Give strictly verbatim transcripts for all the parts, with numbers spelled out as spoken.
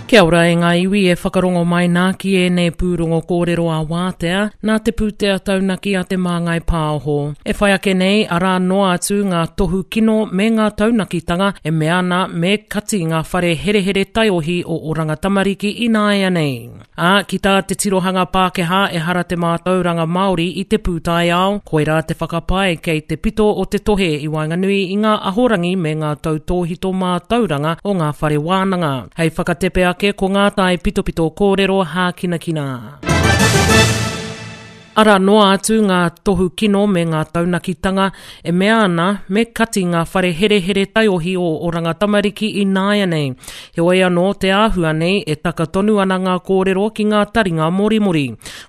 Kia ora e ngā iwi e whakarongo mai nā ki ēnei pūrongo kōrero a wātea, nā te pūtea taunaki a te Māngai Pāho. E whai ake nei, arā noa atu ngā tohu kino me ngā taunakitanga e mea ana me kati ngā whare herehere taiohi o Oranga Tamariki ināianei. Ā, ki tā te tirohanga Pākehā ehara te mātauranga Māori i te pūtaiao, koirā te whakapae kei te pito o te tohe i waenganui i ngā ahorangi me ngā tautōhito mātauranga o ngā whare wānanga. Hei whakatepe ake ko ngā tai pitopito kōrero hākinakina. Arā noa atu ngā tohu kino me ngā taunakitanga e mea ana me kati ngā whare herehere taiohi o Oranga Tamariki ināianei. Heoi anō te āhua nei e taka tonu ana ngā kōrero ki ngā taringa morimori.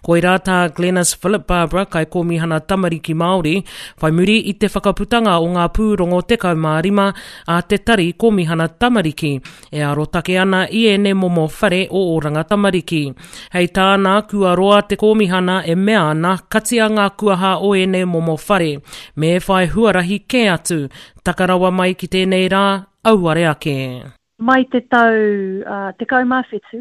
Koirā tā Glenis Philip Barbara Kaikōmihana Tamariki Māori, whai muri i te whakaputanga o ngā pūrongo tekau mā rima a te Tari Kōmihana Tamariki e arotake ana i ēnei momo whare o Oranga Tamariki. Hei tāna, kua roa te kōmihana e mea ana katia ngā kuaha o ēnei momo whare, me whai huarahi kē atu, taka rawa mai ki tēnei rā, auare ake. Mai te tau uh, tekau mā whitu,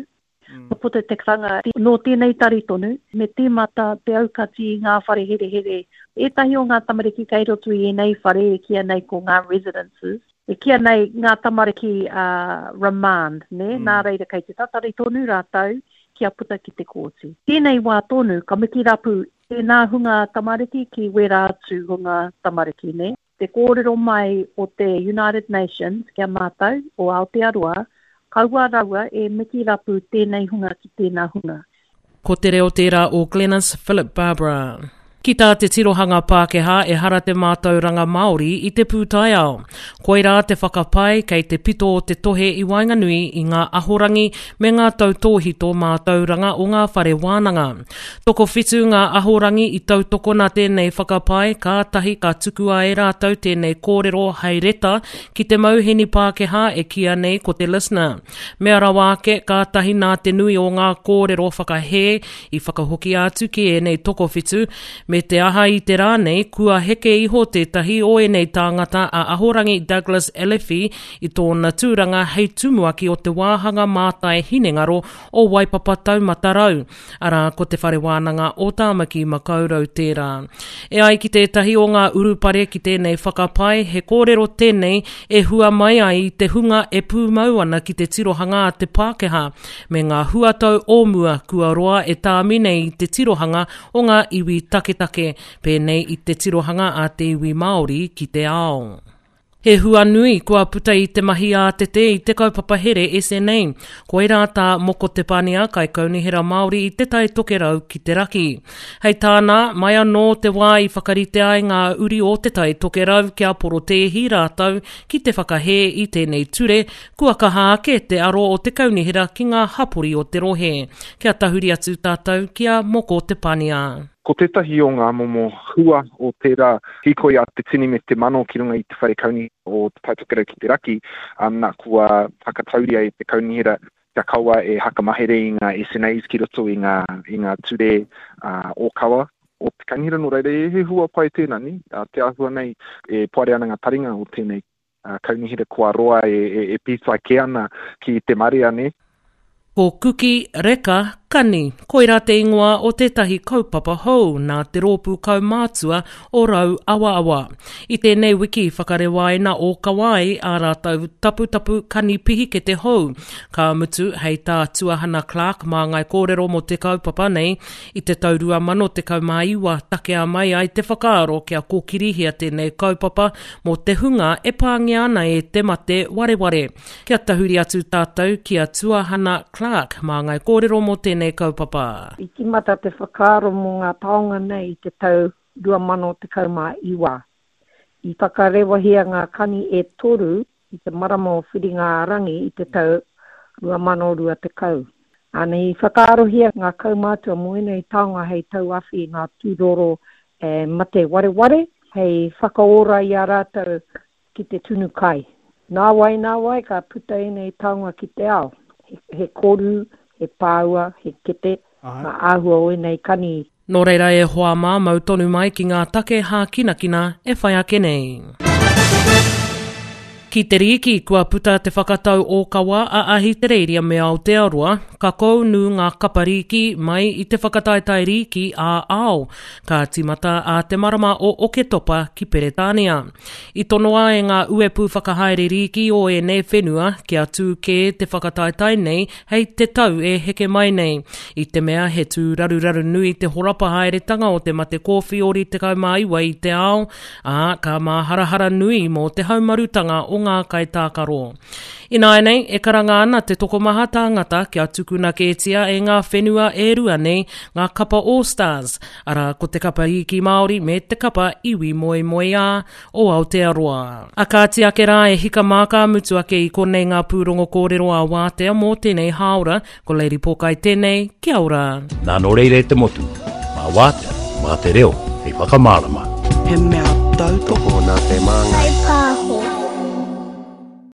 kua puta te karanga nō tēnei tari tonu, me tīmata te aukati i ngā whare herehere. Ētahi o ngā tamariki kei roto i ēnei whare e kīia nei ko ngā residences, e kīia nei ngā tamariki uh, remand, ne? Mm. Nā reira kei te tatari tonu rātou kia puta ki te kōti. Tēnei wā tonu, ka miki rapu tēnā hunga tamariki ki wērā atu hunga tamariki, ne? Te kōrero mai o te United Nations ki a mātou, o Aotearoa, kaua rawa e miki rapu tēnei hunga ki tēnā hunga. Ko te reo tērā o Glenis Philip Barbara. Ki tā te tirohanga Pākehā ehara te mātauranga Māori i te pūtaiao. Koirā te whakapae kei te pito o te tohe i waenganui i ngā ahorangi me ngā tautōhito mātauranga o ngā whare wānanga. Tokowhitu ngā ahorangi i tautokona tēnei whakapae, kātahi ka tukua e rātou tēnei kōrero hei reta ki te mauheni Pākehā e kīia nei ko te Listener. Mea rawa ake, kātahi nā te nui o ngā kōrero whakahē i whakahokia atu ki ēnei tokowhitu, me te aha i te rā nei, kua heke iho tētahi o ēnei tāngata a Ahorangi Douglas Elefy i tōna tūranga hei tumuaki o te wāhanga mātai hinengaro o Waipapa Taumata Rau, arā ko te whare wānanga o Tāmaki Makaurau tērā. E ai ki tētahi o ngā urupare ki tēnei whakapae, he kōrero tēnei e hua mai ai i te hunga e pūmau ana ki te tirohanga a te Pākehā, me ngā huatau o mua kua roa e tāmi nei i te tirohanga o ngā iwi taketake, pēnei i te tirohanga a te iwi Māori ki te ao. He hua nui kua puta i te mahi ātete i te kaupapa here S N A. Koirā tā Moko Te Pania, Kaikaunihera Māori i Te Tai Tokerau ki te raki. Hei tāna, mai anō te wā i whakarite ai ngā uri o Te Tai Tokerau kia porotēhi rātou ki te whakahē i tēnei ture, kua kaha ake te aro o te kaunihera ki ngā hapori o te rohe. Kia tahuri atu tātou ki a Moko Te Pania. Ko tētahi o ngā momo hua o tērā hīkoi a te tini me te mano ki runga i te whare kauni o Te Tai Tokerau ki te raki, um, nā, kua whakatauria e te kaunihera kia kaua e hakamahere i ngā S N As ki roto i ngā, i ngā ture, uh, ōkawa o te kaunihera. Nō reira, he hua pai tēnā, ni? Uh, te āhua nei e poare ana ngā taringa o tēnei, uh, kaunihera kua roa e, e, e pītai kē ana ki te marea, ni? Ko Kuki Reka Kani, koirā te ingoa o tētahi kaupapa hou nā te rōpū kaumātua o Rau Awaawa. I tēnei wiki whakarewaina o Kawai ā rātou taputapu kani pihikete hou. Ka mutu hei tā Tuahana Clark mā ngai kōrero mō te kaupapa nei, i te tau rua mano tekau mā iwa takea mai ai te whakaaro kia kōkirihia tēnei kaupapa mō te hunga e pāngia ana e te mate wareware. Kia tahuri atu tātou ki a Tuahana Clark mā ngai kōrero mō tēnei kaupapa. I tīmata te whakaaro mō ngā taonga nei i te tau rua mano tekau mā iwa. I whakarewahia ngā kani e toru i te marama o Whiringa-a-rangi i te tau rua mano rua tekau. Ana i whakaarohia ngā kaumātua mō ēnei taonga hei tauawhi i ngā tūroro e mate wareware, hei whakaora i a rātou ki te tunu kai. Nā wai, nā wai, ka puta ēnei taonga ki te ao. He, he koru, he pāua, he kete, Ai. ngā āhua o ēnei kani. Nō reira e hoa mā mau tonu mai ki ngā take hākinakina e whai ake nei. Ki te rīki, kua puta te whakatau ōkawa a Ahitereiria me Aotearoa, ka kounu ngā kapa rīki mai i te whakataetae rīki ā-ao, ka tīmata ā te marama o Oketopa ki Peretānia. I tonoa e ngā uepu whakahaere rīki o ēnei whenua kia tū kē te whakataetae nei hei te tau e heke mai nei, i te mea he tūraruraru nui te horapa haeretanga o te mate kōwhiori tekau mā iwa i te ao, ā, ka māharahara nui mō te haumarutanga o ngā kaitākaro. Ināianei, e karanga ana te tokomaha tāngata kia tukuna kētia e ngā whenua e rua nei ngā kapa All Stars, arā ko te kapa rīki Māori me te kapa iwi moemoeā o Aotearoa. A kāti ake rā e hika mā ka mutu ake i konei ngā pūrongo kōrero a Wātea mō tēnei hāora, ko Lady Pōkai tēnei, kia ora. Nā nō reira e te motu, mā Wātea, mā te reo, hei whakamārama. He mea tautoko nā te māngai. Whai pāho.